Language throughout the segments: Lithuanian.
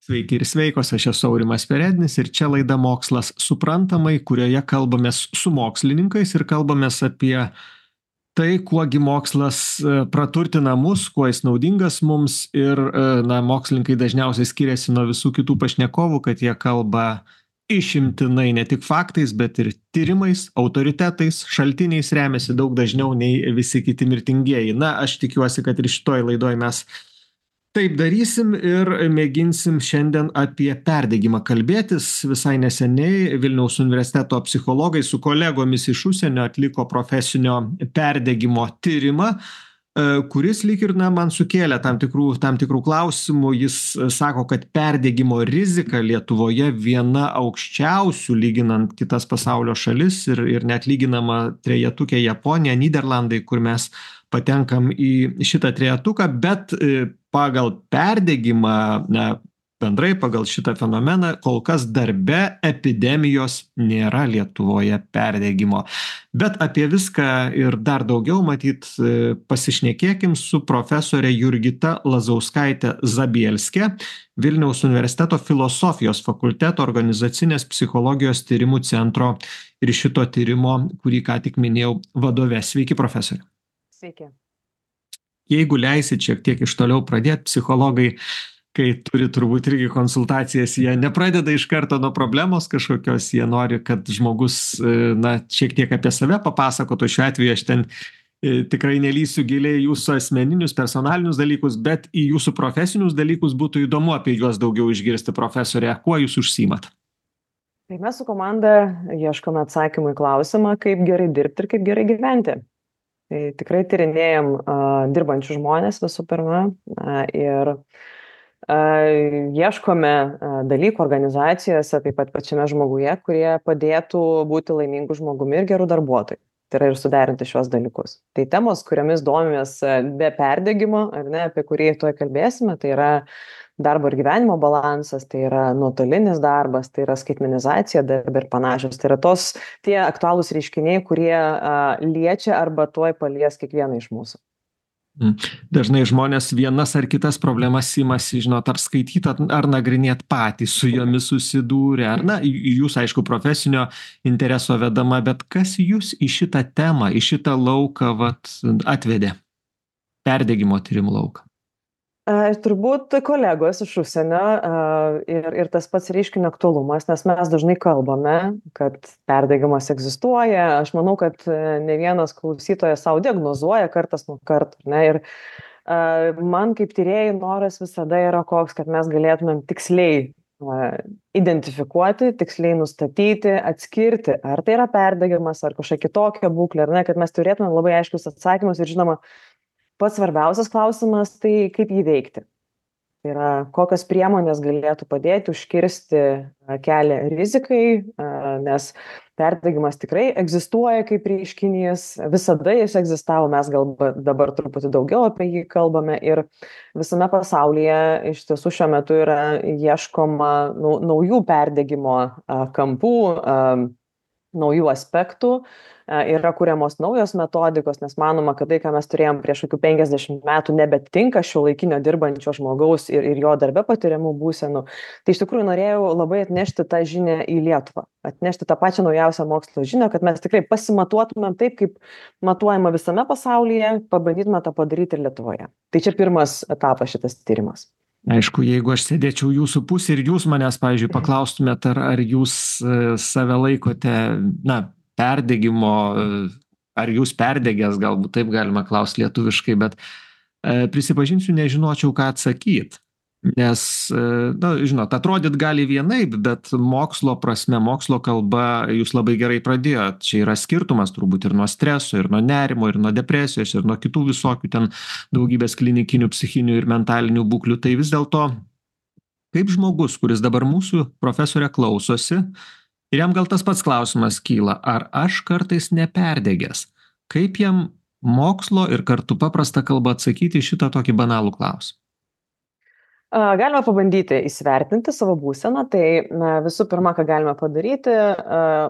Sveiki ir sveikos, aš esu Aurimas Perednis ir čia laida Mokslas suprantamai, kurioje kalbamės su mokslininkais ir kalbamės apie tai, kuogi mokslas praturtina mus, kuo jis naudingas mums ir, na, mokslininkai dažniausiai skiriasi nuo visų kitų pašnekovų, kad jie kalba išimtinai ne tik faktais, bet ir tyrimais, autoritetais, šaltiniais remiasi daug dažniau nei visi kiti mirtingieji. Na, aš tikiuosi, kad ir šitoj laidoj mes taip darysim ir mėginsim šiandien apie perdegimą kalbėtis. Visai neseniai Vilniaus universiteto psichologai su kolegomis iš užsienio atliko profesinio perdegimo tyrimą, kuris lyg ir man sukėlė tam tikrų klausimų. Jis sako, kad perdegimo rizika Lietuvoje viena aukščiausių lyginant kitas pasaulio šalis ir net lyginama trejetuke Japonija, Nyderlandai, kur mes patenkam į šitą trejetuką, bet pagal perdegimą, bendrai pagal šitą fenomeną, kol kas darbe epidemijos nėra Lietuvoje perdegimo. Bet apie viską ir dar daugiau, matyt, pasišnekėkim su profesore Jurgita Lazauskaite Zabielske, Vilniaus universiteto filosofijos fakulteto organizacinės psichologijos tyrimų centro ir šito tyrimo, kurį ką tik minėjau, vadove. Sveiki, profesorė. Sveiki. Jeigu leisit šiek tiek iš toliau pradėti, psichologai, kai turi turbūt irgi konsultacijas, jie nepradeda iš karto nuo problemos kažkokios, jie nori, kad žmogus, na, šiek tiek apie save papasakotų. Šiuo atveju aš ten tikrai nelysiu giliai jūsų asmeninius, personalinius dalykus, bet į jūsų profesinius dalykus būtų įdomu apie juos daugiau išgirsti, profesorė. Kuo jūs užsiimat? Tai mes su komanda ieškome atsakymų į klausimą, kaip gerai dirbti ir kaip gerai gyventi. Tai tikrai tyrinėjam dirbančių žmonės visų pirma ir ieškome dalykų organizacijose, taip pat pačiame žmoguje, kurie padėtų būti laimingų žmogumi ir gerų darbuotojų. Tai yra ir suderinti šios dalykus. Tai temos, kuriamis domimės be perdegimo, ar ne, apie kurį tuoj kalbėsime, tai yra darbo ir gyvenimo balansas, tai yra nuotolinis darbas, tai yra skaitmenizacija darbe ir panašios. Tai yra tie aktualūs reiškiniai, kurie liečia arba tuoj palies kiekvieną iš mūsų. Dažnai žmonės vienas ar kitas problemas imasi, žinot, ar skaityti, ar nagrinėti patys, su jomis susidūrę, ar, na, jūs, aišku, profesinio intereso vedama, bet kas jūs į šitą temą, į šitą lauką atvedė, perdegimo tyrimų lauką? Turbūt kolegos iš užsienio ir tas pats reiškinio aktualumas, nes mes dažnai kalbame, kad perdegimas egzistuoja. Aš manau, kad ne vienas klausytojas savo diagnozuoja kartas nuo karto. Ne? Ir man kaip tyrėjai noras visada yra koks, kad mes galėtumėm tiksliai identifikuoti, tiksliai nustatyti, atskirti, ar tai yra perdegimas, ar kažkokia kitokia būklė, ar ne, kad mes turėtumėm labai aiškius atsakymus ir žinoma, pats svarbiausias klausimas, tai kaip jį veikti. Tai yra, kokios priemonės galėtų padėti užkirsti kelią rizikai, nes perdegimas tikrai egzistuoja kaip reiškinys, visada jis egzistavo, mes gal dabar truputį daugiau apie jį kalbame ir visame pasaulyje iš tiesų šiuo metu yra ieškoma naujų perdegimo kampų, naujų aspektų. Yra kuriamos naujos metodikos, nes manoma, kad tai, ką mes turėjom prieš kokių 50 metų, nebetinka šiuolaikinio dirbančio žmogaus ir jo darbe patiriamų būsenų. Tai iš tikrųjų norėjau labai atnešti tą žinią į Lietuvą, atnešti tą pačią naujausią mokslo žinią, kad mes tikrai pasimatuotumėm taip, kaip matuojama visame pasaulyje, pabandytume tą padaryti ir Lietuvoje. Tai čia pirmas etapas šitas tyrimas. Aišku, jeigu aš sėdėčiau jūsų pusė ir jūs manęs, pavyzdžiui, paklaustumėt, ar jūs save laikote, na, perdegimo, ar jūs perdegęs, galbūt taip galima klausti lietuviškai, bet prisipažinsiu, nežinočiau, ką atsakyti. Nes, na, žinot, atrodyt gali vienaip, bet mokslo prasme, mokslo kalba, jūs labai gerai pradėjot. Čia yra skirtumas turbūt ir nuo streso, ir nuo nerimo, ir nuo depresijos, ir nuo kitų visokių ten daugybės klinikinių, psichinių ir mentalinių būklių. Tai vis dėlto, kaip žmogus, kuris dabar mūsų profesorė klausosi, ir jam gal tas pats klausimas kyla, ar aš kartais neperdegęs? Kaip jam mokslo ir kartu paprasta kalba atsakyti šitą tokį banalų klausimą? Galima pabandyti įsivertinti savo būseną, tai visų pirma, ką galime padaryti,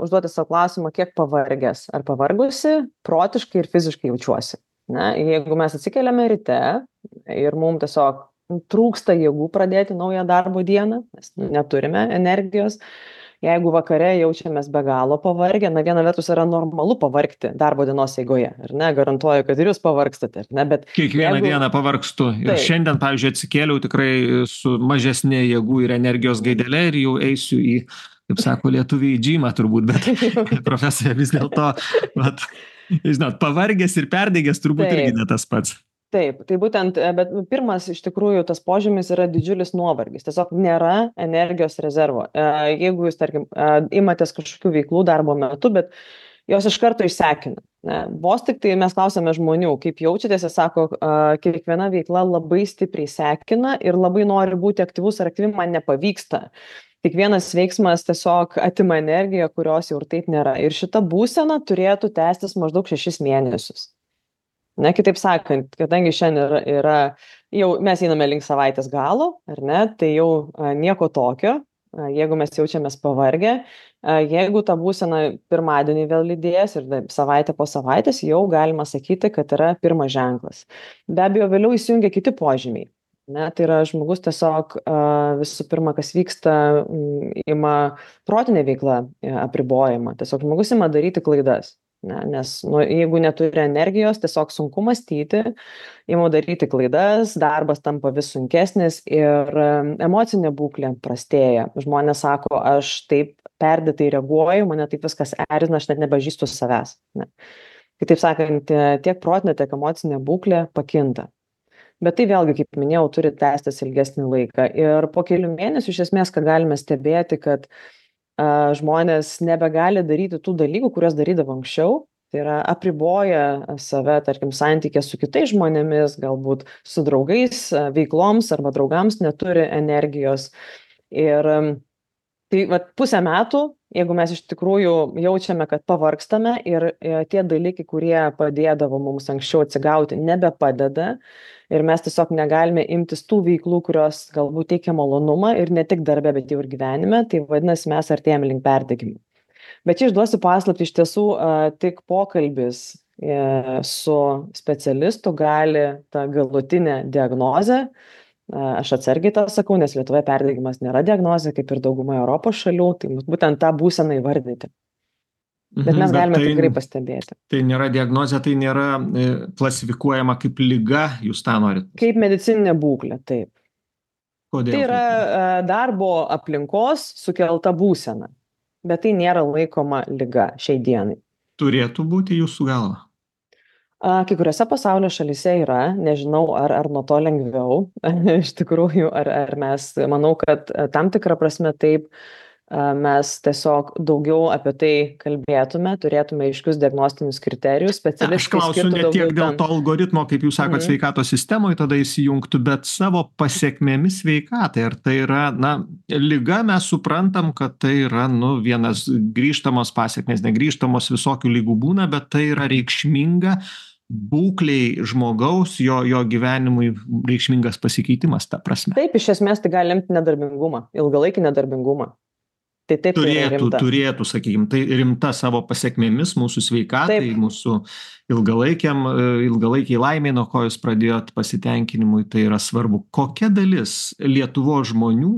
užduoti savo klausimą, kiek pavargęs ar pavargusi, protiškai ir fiziškai jaučiuosi. Jeigu mes atsikeliame ryte ir mums tiesiog trūksta jėgų pradėti naują darbo dieną, mes neturime energijos. Jeigu vakare jaučiamės be galo pavargę, na viena vertus yra normalu pavargti darbo dienos eigoje, ar ne, garantuoju, kad ir jūs pavargstate, ar ne, bet Kiekvieną dieną pavargstu. Ir taip, šiandien, pavyzdžiui, atsikėliau tikrai su mažesnė jėgų ir energijos gaidele ir jau eisiu į, kaip sako lietuviai, į džymą turbūt, bet profesorė vis dėlto, vat, žinot, pavargęs ir perdegęs turbūt irgi taip. ne tas pats. Taip, tai būtent, bet pirmas iš tikrųjų tas požymis yra didžiulis nuovargis. Tiesiog nėra energijos rezervo. Jeigu jūs, tarkim, imatės kažkokių veiklų darbo metu, bet jos iš karto išsekina. Vos tik tai mes klausėme žmonių, kaip jaučiatės, jie sako, kiekviena veikla labai stipriai sekina ir labai nori būti aktyvus ar aktyvi, man nepavyksta. Kiekvienas veiksmas tiesiog atima energiją, kurios jau ir taip nėra. Ir šita būsena turėtų tęstis maždaug 6 mėnesius. Ne, kitaip sakant, kadangi šiandien yra, jau mes einame link savaitės galo, ar ne, tai jau nieko tokio, jeigu mes jaučiamės pavargę, jeigu ta būsena pirmadienį vėl lydės ir savaitę po savaitės, jau galima sakyti, kad yra pirmas ženklas. Be abejo, vėliau įsijungia kiti požymiai. Ne, tai yra žmogus tiesiog visų pirma, kas vyksta, ima protinė veikla apribojimą. Tiesiog žmogus ima daryti klaidas. Ne, nes jeigu neturi energijos, tiesiog sunku mąstyti, imu daryti klaidas, darbas tampa vis sunkesnis ir emocinė būklė prastėja. Žmonės sako, aš taip perdėtai reaguoju, mane taip viskas erzina, aš net nepažįstu savęs. Ne. Kitaip sakant, tiek protinė, tiek emocinė būklė pakinta. Bet tai vėlgi, kaip minėjau, turi tęstis ilgesnį laiką. Ir po kelių mėnesių iš esmės, ką galime stebėti, kad žmonės nebegali daryti tų dalykų, kuriuos darydavo anksčiau. Tai yra apriboja save, tarkim, santykė su kitais žmonėmis, galbūt su draugais, veikloms arba draugams neturi energijos. Ir tai pusę metų, jeigu mes iš tikrųjų jaučiame, kad pavargstame ir tie dalykai, kurie padėdavo mums anksčiau atsigauti, nebepadeda ir mes tiesiog negalime imtis tų veiklų, kurios galbūt teikia malonumą ir ne tik darbe, bet jau ir gyvenime, tai vadinasi, mes artėjame link perdegimo. Bet čia išduosiu paslaptį, iš tiesų tik pokalbis su specialistu gali tą galutinę diagnozę. Aš atsargiai tą sakau, nes Lietuvoje perdegimas nėra diagnozė, kaip ir dauguma Europos šalių, tai būtent tą būseną įvardyti. Bet mes galime tikrai pastebėti. Tai nėra diagnozė, tai nėra klasifikuojama kaip liga, jūs tą norit? Kaip medicininė būklė, taip. Kodėl? Tai yra darbo aplinkos sukelta būsena, bet tai nėra laikoma liga šiai dienai. Turėtų būti jūsų galva? Kai kuriuose pasaulio šalyse yra, nežinau, ar nuo to lengviau, iš tikrųjų, ar mes, manau, kad tam tikrą prasme taip, mes tiesiog daugiau apie tai kalbėtume, turėtume aiškius diagnostinius kriterijus, specialistai. Aš klausiu ne tiek dėl to algoritmo, kaip jūs sakot, sveikatos sistemoje tada įsijungtų, bet savo pasiekmėmis sveikatai. Ar tai yra, liga, mes suprantam, kad tai yra, vienas grįžtamos pasiekmės, negrįžtamos, visokių lygų būna, bet tai yra reikšminga būkliai žmogaus, jo gyvenimui reikšmingas pasikeitimas, ta prasme. Taip, iš esmės tai gali lemti nedarbingumą, ilgalaikį nedarbingumą. Tai taip turėtų, sakykime, tai rimta savo pasiekmėmis mūsų sveikatai, taip. Mūsų ilgalaikiai laimiai, nuo ko jūs pradėjot pasitenkinimui, tai yra svarbu. Kokia dalis Lietuvos žmonių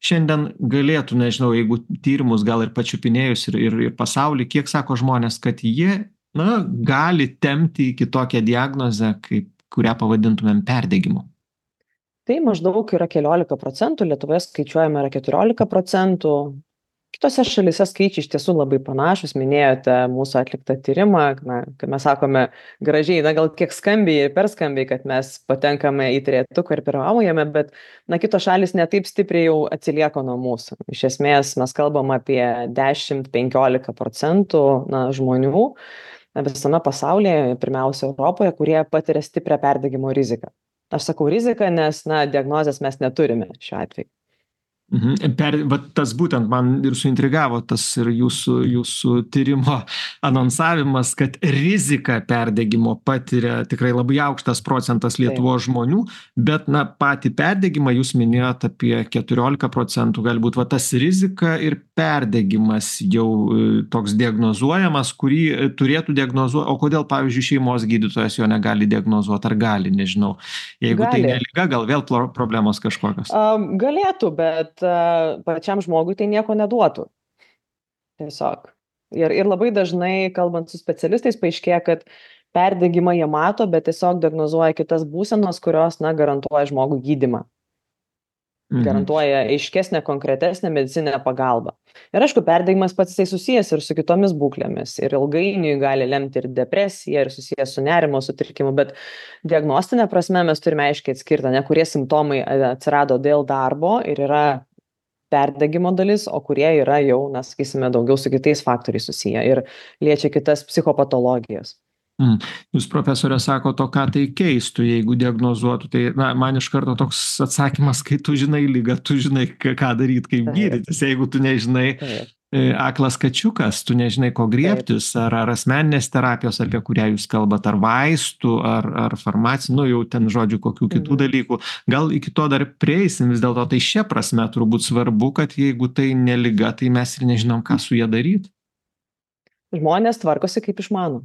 šiandien galėtų, nežinau, jeigu tyrimus gal ir pačiupinėjus ir pasaulį, kiek sako žmonės, kad jie gali tempti iki tokią diagnozę, kurią pavadintumėm perdegimu? Tai maždaug yra 14%, Lietuvoje skaičiuojama yra 14%. Kitose šalyse skaičiai iš tiesų labai panašus, minėjote mūsų atliktą tyrimą, kai mes sakome gražiai, gal kiek skambiai ir per skambiai, kad mes patenkame į trejetuką ir pirmaujame, bet kitos šalys netaip stipriai jau atsilieka nuo mūsų. Iš esmės mes kalbam apie 10-15% žmonių visame pasaulyje, pirmiausia Europoje, kurie patiria stiprią perdegimo riziką. Aš sakau riziką, nes diagnozės mes neturime šiuo atveju. Vat tas būtent man ir suintrigavo tas ir jūsų tyrimo anonsavimas, kad riziką perdegimo patiria tikrai labai aukštas procentas Taip, Lietuvos žmonių, bet na patį perdegimą jūs minėjot apie 14%, galbūt va tas rizika ir perdegimas jau toks diagnozuojamas, kurį turėtų diagnozuoti, o kodėl, pavyzdžiui, šeimos gydytojas jo negali diagnozuoti, ar gali, nežinau. Jeigu tai gali. ne liga, gal vėl problemos kažkokios. Galėtų, bet pačiam žmogui tai nieko neduotų. Tiesiog. Ir labai dažnai, kalbant su specialistais, paaiškėja, kad perdegimą jie mato, bet tiesiog diagnozuoja kitas būsenos, kurios, garantuoja žmogų gydymą. Garantuoja aiškesnę, konkretesnę medicinę pagalbą. Ir aišku, perdegimas pats jisai susijęs ir su kitomis būklėmis. Ir ilgainiui gali lemti ir depresiją, ir susijęs su nerimo sutrikimu, bet diagnostinė prasme mes turime aiškiai atskirti, kurie simptomai atsirado dėl darbo ir yra perdegimo dalis, o kurie yra jau, sakysime, daugiau su kitais faktoriais susiję ir liečia kitas psichopatologijas. Jūs, profesorė, sako, to ką tai keistų, jeigu diagnozuotų. Tai man iš karto toks atsakymas, kai tu žinai ligą, tu žinai, ką daryti, kaip gydytis. Jeigu tu nežinai, aklas kačiukas, tu nežinai, ko griebtis, ar asmeninės terapijos, apie kurią jūs kalbate, ar vaistų, ar farmacijų, jau ten žodžiu, kokių kitų dalykų. Gal iki to dar prieisim, vis dėlto tai šia prasme turbūt svarbu, kad jeigu tai ne liga, tai mes ir nežinom, ką su ja daryti. Žmonės tvarkosi kaip išmano.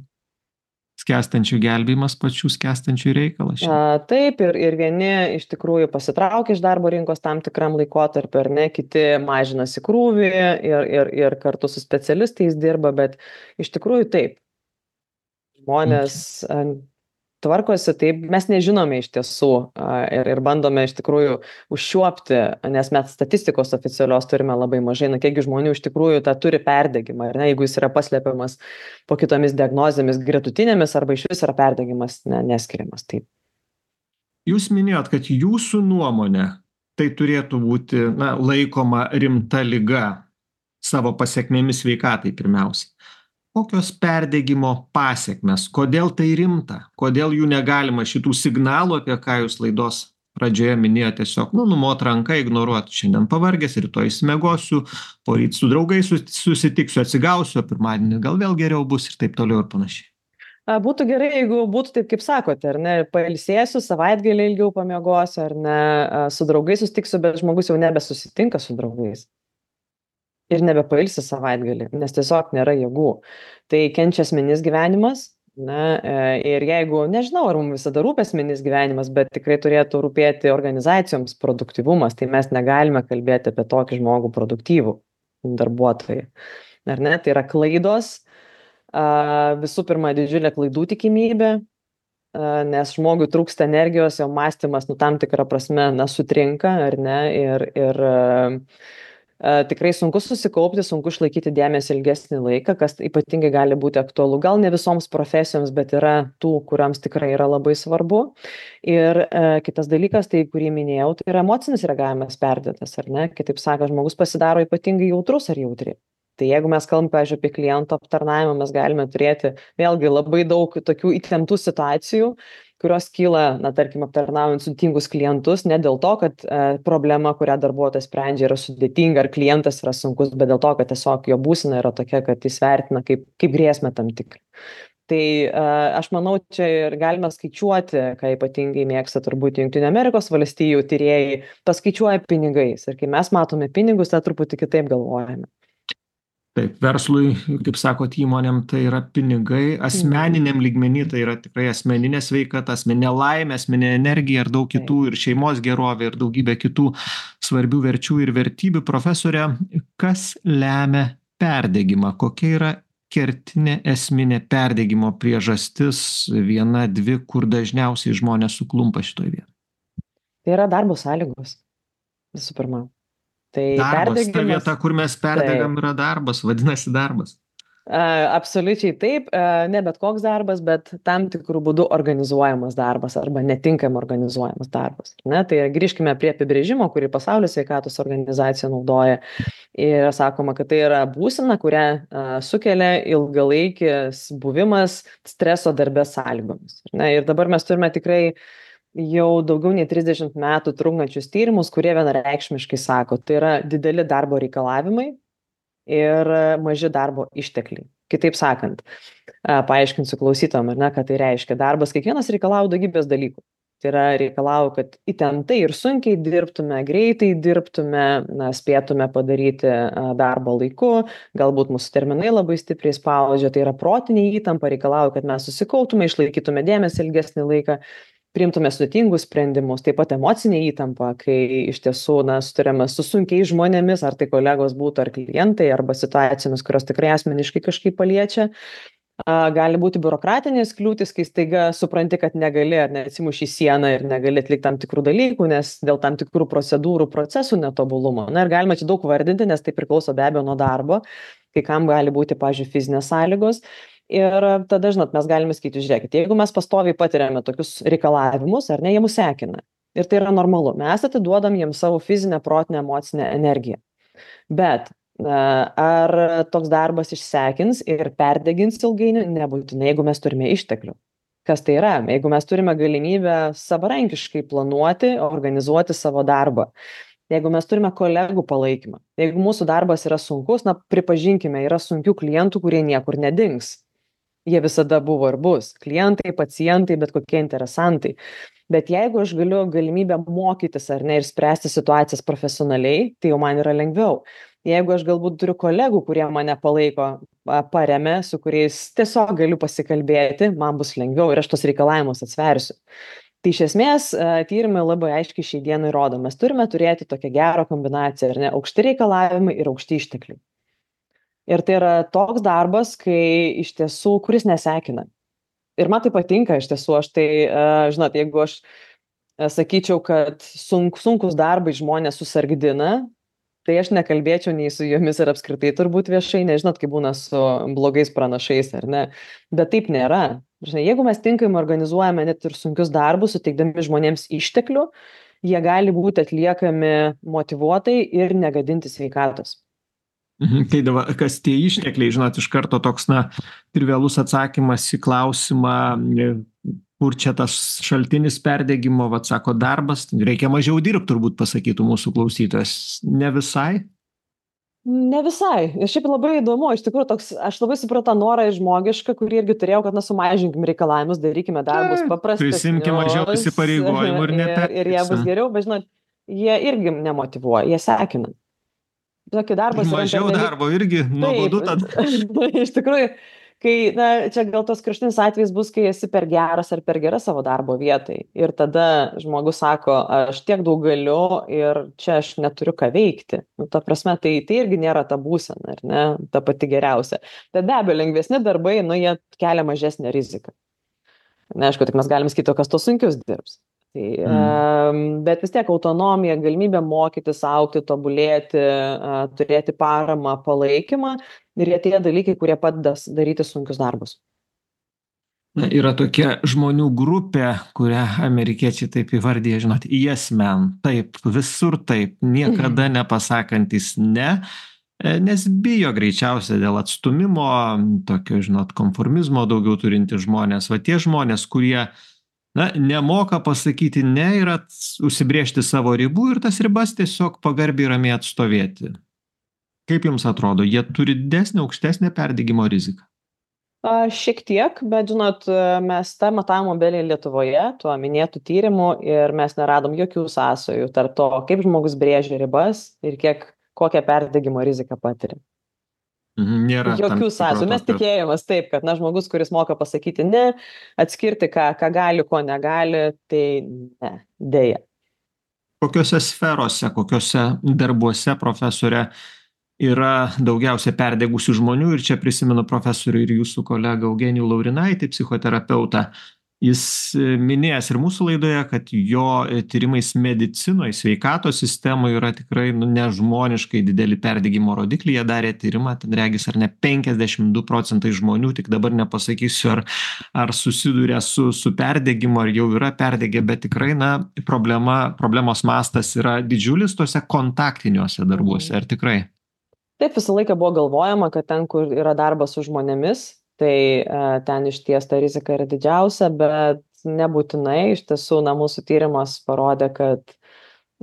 Skęstančių gelbėjimas pačių skęstančių reikalas. Taip, ir vieni iš tikrųjų pasitraukia iš darbo rinkos tam tikram laikotarpiu, ar ne, kiti mažinasi krūvį ir kartu su specialistais dirba, bet iš tikrųjų taip. Žmonės tvarkosi, taip, mes nežinome iš tiesų ir bandome iš tikrųjų užčiuopti, nes mes statistikos oficialios turime labai mažai, kiekgi žmonių iš tikrųjų tą turi perdegimą, ar ne, jeigu jis yra paslepiamas po kitomis diagnozėmis gretutinėmis arba iš vis yra perdegimas neskiriamas. Taip. Jūs minėjot, kad jūsų nuomonė tai turėtų būti laikoma rimta liga savo pasekmėmis sveikatai pirmiausiai. Kokios perdegimo pasekmes? Kodėl tai rimta? Kodėl jų negalima šitų signalų, apie ką jūs laidos pradžioje minėjote, tiesiog numot ranką, ignoruoti. Šiandien pavargęs, rytoj išsimiegosiu, poryt su draugais susitiksiu, atsigausiu, pirmadienį gal vėl geriau bus ir taip toliau ir panašiai. Būtų gerai, jeigu būtų taip, kaip sakote, ar ne, pailsėsiu, savaitgalį ilgiau pamiegosiu, ar ne, su draugais susitiksiu, bet žmogus jau nebesusitinka su draugais. Ir nebepailsi savaitgalį, nes tiesiog nėra jėgų. Tai kenčia asmeninis gyvenimas, ir jeigu, nežinau, ar mums visada rūpi asmeninis gyvenimas, bet tikrai turėtų rūpėti organizacijoms produktyvumas, tai mes negalime kalbėti apie tokį žmogų produktyvų darbuotoją. Ar ne? Tai yra klaidos, visų pirma, didžiulė klaidų tikimybė, nes žmogui trūksta energijos, jo mąstymas, tam tikrą prasme, sutrinka, ar ne, ir tikrai sunku susikaupti, sunku išlaikyti dėmesį ilgesnį laiką, kas ypatingai gali būti aktualu. Gal ne visoms profesijoms, bet yra tų, kuriams tikrai yra labai svarbu. Ir kitas dalykas, tai kurį minėjau, tai yra emocinis reagavimas perdėtas, ar ne? Kitaip sakant, žmogus pasidaro ypatingai jautrus ar jautri. Tai jeigu mes kalbame, pavyzdžiui, apie klientų aptarnavimą, mes galime turėti vėlgi labai daug tokių įtemptų situacijų, kurios kyla, tarkim, aptarnaujant sudėtingus klientus, ne dėl to, kad problema, kurią darbuotojas sprendžia, yra sudėtinga, ar klientas yra sunkus, bet dėl to, kad tiesiog jo būsena yra tokia, kad jis vertina kaip grėsmę tam tikrą. Tai aš manau, čia ir galime skaičiuoti, ką ypatingai mėgsta turbūt Jungtinių Amerikos valstijų tyrėjai, paskaičiuoja pinigais. Ir kai mes matome pinigus, tai truputį kitaip galvojame. Taip, verslui, kaip sakot, įmonėm tai yra pinigai, asmeniniam lygmenį tai yra tikrai asmeninė sveikata, asmeninė laimė, asmeninė energija ir daug kitų, ir šeimos gerovė, ir daugybė kitų svarbių verčių ir vertybių. Profesorė, kas lemia perdegimą? Kokia yra kertinė esminė perdegimo priežastis, viena, dvi, kur dažniausiai žmonės suklumpa šitoj vietoj? Tai yra darbo sąlygos, visų pirma. Tai darbas, ta vieta, kur mes perdegam, yra darbas, vadinasi darbas. Absoliučiai taip, ne bet koks darbas, bet tam tikrų būdų organizuojamas darbas arba netinkamai organizuojamas darbas. Tai grįžkime prie apibrėžimo, kurį Pasaulio sveikatos organizacija naudoja. Ir sakoma, kad tai yra būsena, kurią sukelia ilgalaikis buvimas streso darbės sąlygomis. Ir dabar mes turime tikrai jau daugiau nei 30 metų trunkančius tyrimus, kurie vienareikšmiškai sako, tai yra dideli darbo reikalavimai ir maži darbo ištekliai. Kitaip sakant, paaiškinsiu klausytojam, ar ne, ką tai reiškia. Darbas kiekvienas reikalauja daugybės dalykų. Tai yra reikalauja, kad įtemptai ir sunkiai dirbtume, greitai dirbtume, spėtume padaryti darbą laiku, galbūt mūsų terminai labai stipriai spaudžia, tai yra protinė įtampa, reikalauja, kad mes susikautume, išlaikytume dėmesį ilgesnį laiką, priimtume sudėtingus sprendimus, taip pat emocinė įtampa, kai iš tiesų sutarėme su sunkiais žmonėmis, ar tai kolegos būtų, ar klientai, arba situacijomis, kurios tikrai asmeniškai kažkaip paliečia. Gali būti biurokratinės kliūtis, kai staiga supranti, kad negali ar neatsimuši į sieną ir negali atlikti tam tikrų dalykų, nes dėl tam tikrų procedūrų, procesų netobulumo. Ir galima čia daug vardinti, nes tai priklauso be abejo nuo darbo, kai kam gali būti, pavyzdžiui, fizinės sąlygos. Ir tada, žinot, mes galime sakyti, žiūrėkit, jeigu mes pastoviai patiriame tokius reikalavimus, ar ne, jie mus sekina. Ir tai yra normalu. Mes atiduodam jiems savo fizinę, protinę, emocinę energiją. Bet ar toks darbas išsekins ir perdegins ilgainiui? Nebūtinai, jeigu mes turime išteklių. Kas tai yra? Jeigu mes turime galimybę savarankiškai planuoti, organizuoti savo darbą. Jeigu mes turime kolegų palaikymą. Jeigu mūsų darbas yra sunkus, pripažinkime, yra sunkių klientų, kurie niekur nedings. Jie visada buvo ir bus. Klientai, pacientai, bet kokie interesantai. Bet jeigu aš galiu galimybę mokytis ar ne ir spręsti situacijas profesionaliai, tai jau man yra lengviau. Jeigu aš galbūt turiu kolegų, kurie mane palaiko, paremia, su kuriais tiesiog galiu pasikalbėti, man bus lengviau ir aš tos reikalavimus atsversiu. Tai iš esmės tyrimai labai aiškiai šiai dienai rodo, mes turime turėti tokią gerą kombinaciją, ar ne, aukšti reikalavimai ir aukšti ištekliai. Ir tai yra toks darbas, kai iš tiesų, kuris nesekina. Ir man tai patinka iš tiesų, aš tai, žinot, jeigu aš sakyčiau, kad sunkus darbai žmonės susargdina, tai aš nekalbėčiau nei su jomis ir apskritai turbūt viešai, nežinot, kaip būna su blogais pranašais, ar ne. Bet taip nėra. Jeigu mes tinkamai organizuojame net ir sunkius darbus, suteikdami žmonėms išteklių, jie gali būti atliekami motyvuotai ir negadinti sveikatos. Tai dabar, kas tie ištekliai, žinot, iš karto toks, trivialus atsakymas į klausimą, kur čia tas šaltinis perdegimo, sako, darbas, reikia mažiau dirbti, turbūt pasakytų mūsų klausytojas. Ne visai? Ne visai. Ir šiaip labai įdomu, iš tikrųjų toks, aš labai supratau norą žmogišką, kurį irgi turėjau, kad sumažinkim reikalavimus, darykime darbus paprastesnius. Prisimkim mažiau įsipareigojimų ir neperdirbsim. Ir jie bus geriau, bet žinot, jie irgi nemotyvuoja, jie sekina. Tokį darbas mažiau darbo irgi nuobodu tada. Iš tikrųjų, kai, čia gal tos kraštinis atvejis bus, kai esi per geras ar per gera savo darbo vietai. Ir tada žmogus sako, aš tiek daug galiu ir čia aš neturiu ką veikti. Ta prasme, tai irgi nėra ta būsena, ar ne, ta pati geriausia. Tai be abejo, lengvesni darbai, jie kelia mažesnę riziką. Neaišku, tik mes galim sakyti, kas tos sunkius dirbs. Bet vis tiek autonomija, galimybė mokytis, augti, tobulėti, turėti paramą, palaikymą ir tie dalykai, kurie padeda daryti sunkius darbus. Yra tokia žmonių grupė, kurią amerikiečiai taip įvardyja, žinot, yes man, taip, visur taip, niekada nepasakantis ne, nes bijo greičiausiai dėl atstumimo, tokio, žinot, konformizmo daugiau turinti žmonės, tie žmonės, kurie nemoka pasakyti ne ir užsibriežti savo ribų ir tas ribas tiesiog pagarbiai ramiai atstovėti. Kaip jums atrodo, jie turi didesnę, aukštesnę perdegimo riziką? Šiek tiek, bet žinot, mes tą matavimo belį Lietuvoje, tuo minėtų tyrimų ir mes neradom jokių sąsajų tarp to, kaip žmogus brėžia ribas ir kokią perdegimo riziką patiria. Nėra jokių sąsajų. Mes tikėjomės taip, kad žmogus, kuris moka pasakyti ne, atskirti, ką gali, ko negali, tai ne, dėja. Kokiose sferose, kokiose darbuose, profesorė, yra daugiausia perdegusių žmonių? Ir čia prisimenu profesorių ir jūsų kolegą Eugenijų Laurinaitį, psichoterapeutą. Jis minėjęs ir mūsų laidoje, kad jo tyrimais medicinoje, sveikatos sistemoje yra tikrai nežmoniškai dideli perdegimo rodikliai. Jie darė tyrimą, ten regis ar ne 52% žmonių, tik dabar nepasakysiu, ar susiduria su perdegimu, ar jau yra perdegę, bet tikrai problemos mastas yra didžiulis tose kontaktiniuose darbuose, ar tikrai? Taip, visą laiką buvo galvojama, kad ten, kur yra darbas su žmonėmis, tai ten išties ta rizika yra didžiausia, bet nebūtinai. Iš tiesų, mūsų tyrimas parodė, kad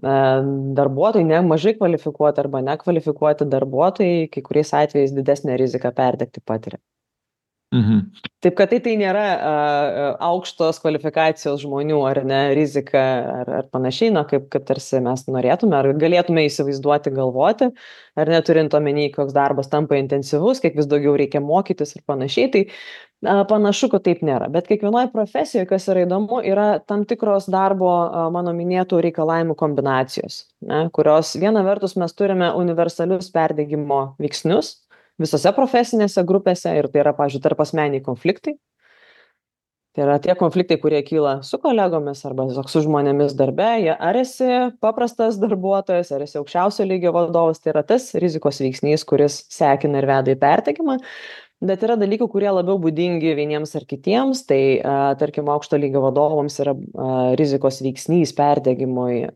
darbuotojai, ne mažai kvalifikuoti arba nekvalifikuoti darbuotojai, kai kuriais atvejais didesnę riziką perdegti patiria. Mhm. Taip, kad tai nėra aukštos kvalifikacijos žmonių ar ne rizika ar panašiai, kaip tarsi mes norėtume, ar galėtume įsivaizduoti, galvoti, ar neturint omeny, koks darbas tampa intensyvus, kiek vis daugiau reikia mokytis ir panašiai, tai panašu, kad taip nėra. Bet kiekvienoje profesijoje, kas yra įdomu, yra tam tikros darbo, mano minėtų reikalavimų kombinacijos, ne, kurios viena vertus mes turime universalius perdegimo veiksnius, visose profesinėse grupėse ir tai yra, pavyzdžiui, tarpasmeniai konfliktai. Tai yra tie konfliktai, kurie kyla su kolegomis arba su žmonėmis darbe, ar esi paprastas darbuotojas, ar esi aukščiausio lygio vadovas, tai yra tas rizikos veiksnys, kuris sekina ir veda į perdegimą. Bet yra dalykų, kurie labiau būdingi vieniems ar kitiems, tai tarkim aukšto lygio vadovams yra rizikos veiksnys perdegimui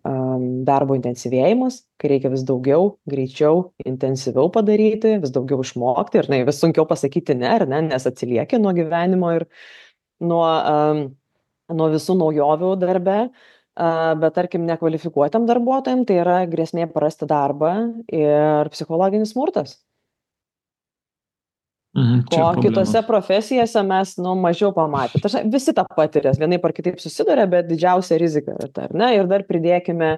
darbo intensyvėjimas, kai reikia vis daugiau, greičiau, intensyviau padaryti, vis daugiau išmokti ir vis sunkiau pasakyti ne, ar ne, nes atsilieki nuo gyvenimo ir nuo visų naujovių darbe. Bet tarkim nekvalifikuotam darbuotojam tai yra grėsmė prarasti darbą ir psichologinis smurtas. Ko kitose profesijose mes mažiau pamatė. Visi tą patiria, vienaip ar kitaip susiduria, bet didžiausia rizika yra ta, ar ne? Ir dar pridėkime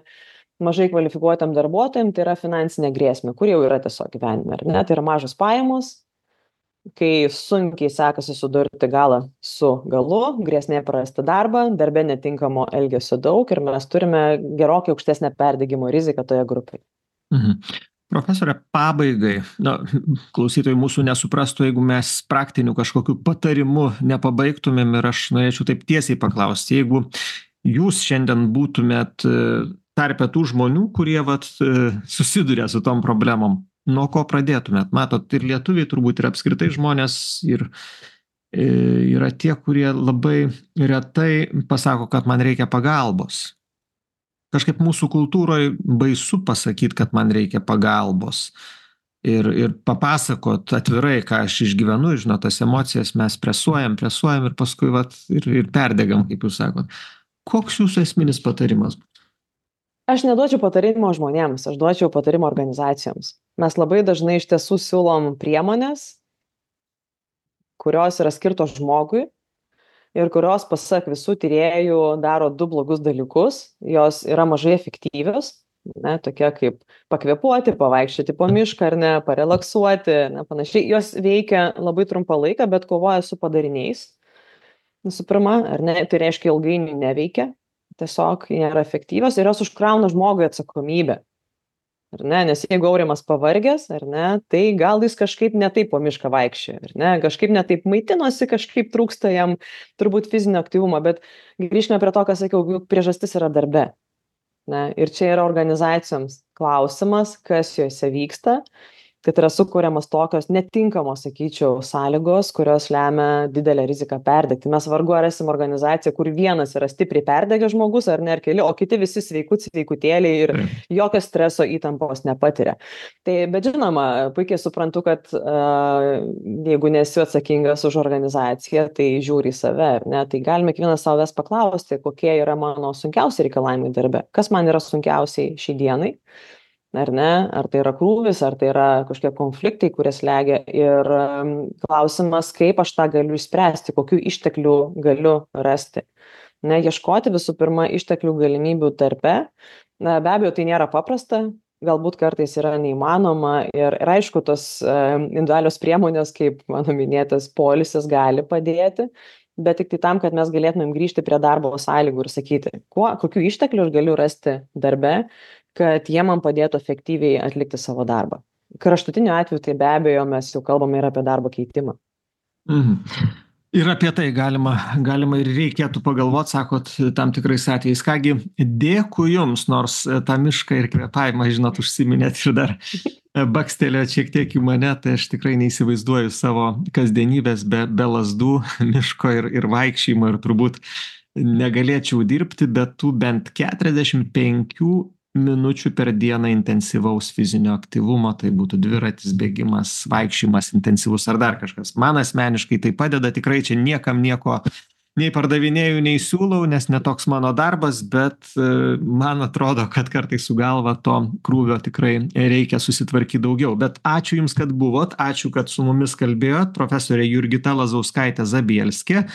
mažai kvalifikuotam darbuotojam, tai yra finansinė grėsmė, kur jau yra tiesiog gyvenime, ar ne? Tai yra mažos pajamos, kai sunkiai sekasi sudurti galą su galu, grėsmė prarasti darbą, darbe netinkamo elgesio daug ir mes turime gerokai aukštesnę perdegimo riziką toje grupėje. Mhm. Profesorė, pabaigai, klausytojai mūsų nesuprastų, jeigu mes praktinių kažkokių patarimų nepabaigtumėm ir aš norėčiau taip tiesiai paklausti, jeigu jūs šiandien būtumėt tarpe tų žmonių, kurie susiduria su tom problemom, nuo ko pradėtumėt? Matot, ir lietuviai turbūt ir apskritai žmonės ir yra tie, kurie labai retai pasako, kad man reikia pagalbos. Kažkaip mūsų kultūroje baisu pasakyti, kad man reikia pagalbos ir papasakot atvirai, ką aš išgyvenu, žinot, tas emocijas mes presuojam ir paskui ir perdegam, kaip jūs sakot. Koks jūsų esminis patarimas? Aš neduočiau patarimo žmonėms, aš duočiau patarimo organizacijoms. Mes labai dažnai iš tiesų siūlom priemonės, kurios yra skirtos žmogui, ir kurios, pasak visų tyrėjų, daro du blogus dalykus. Jos yra mažai efektyvios, tokie kaip pakvėpuoti, pavaikščioti po mišką ar ne, parelaksuoti, panašiai. Jos veikia labai trumpą laiką, bet kovoja su padariniais. Visų pirma, ar ne, tai reiškia ilgainiui neveikia, tiesiog nėra efektyvios ir jos užkrauna žmogui atsakomybę. Ar ne, nes jeigu Aurimas pavargęs, ar ne, tai gal jis kažkaip netaip po mišką vaikščioja, ar ne, kažkaip netaip maitinosi, kažkaip trūksta jam turbūt fizinio aktyvumo, bet grįžkime prie to, ką sakiau, priežastis yra darbe. Ne, ir čia yra organizacijoms klausimas, kas juose vyksta, kad yra sukūriamas tokios netinkamos, sakyčiau, sąlygos, kurios lemia didelę riziką perdegti. Mes vargu ar esame organizacija, kur vienas yra stipriai perdegęs žmogus ar ne, ar keli, o kiti visi sveikutėliai ir jokio streso įtampos nepatiria. Tai, bet žinoma, puikiai suprantu, kad jeigu nesi atsakingas už organizaciją, tai žiūri į save, ar ne, tai galime kiekvienas savęs paklausti, kokie yra mano sunkiausi reikalavimai darbe, kas man yra sunkiausiai šiai dienai. Ar ne, ar tai yra krūvis, ar tai yra kažkokie konfliktai, kurie slegia ir klausimas, kaip aš tą galiu išspręsti, kokių išteklių galiu rasti. Ne, ieškoti visų pirma išteklių galimybių darbe. Be abejo, tai nėra paprasta, galbūt kartais yra neįmanoma ir aišku, tos individualios priemonės, kaip mano minėtas poilsis, gali padėti, bet tik tai tam, kad mes galėtumėm grįžti prie darbo sąlygų ir sakyti, kokių išteklių aš galiu rasti darbe, kad jie man padėtų efektyviai atlikti savo darbą. Kraštutiniu atveju tai be abejo mes jau kalbame ir apie darbo keitimą. Ir apie tai galima ir reikėtų pagalvoti, sakot, tam tikrais atvejais. Kągi, dėkui jums, nors tą mišką ir kvėpavimą, žinot, užsiminėt ir dar bakstelėt šiek tiek į mane, tai aš tikrai neįsivaizduoju savo kasdienybės be lazdų, miško ir vaikščiojimo ir turbūt negalėčiau dirbti, bet tų bent 45 minučių per dieną intensyvaus fizinio aktyvumo, tai būtų dviratis, bėgimas, vaikščiojimas intensyvus ar dar kažkas. Man asmeniškai tai padeda, tikrai čia niekam nieko nei pardavinėju, nei siūlau, nes netoks mano darbas, bet man atrodo, kad kartais su galva to krūvio tikrai reikia susitvarkyti daugiau. Bet ačiū Jums, kad buvot, ačiū, kad su mumis kalbėjot. Profesorė Jurgita Lazauskaitė Zabielskė,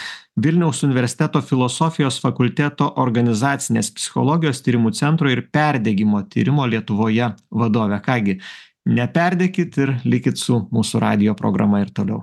Vilniaus universiteto filosofijos fakulteto organizacinės psichologijos tyrimų centro ir perdegimo tyrimo Lietuvoje vadovė. Kągi, neperdėkit ir likit su mūsų radijo programa ir toliau.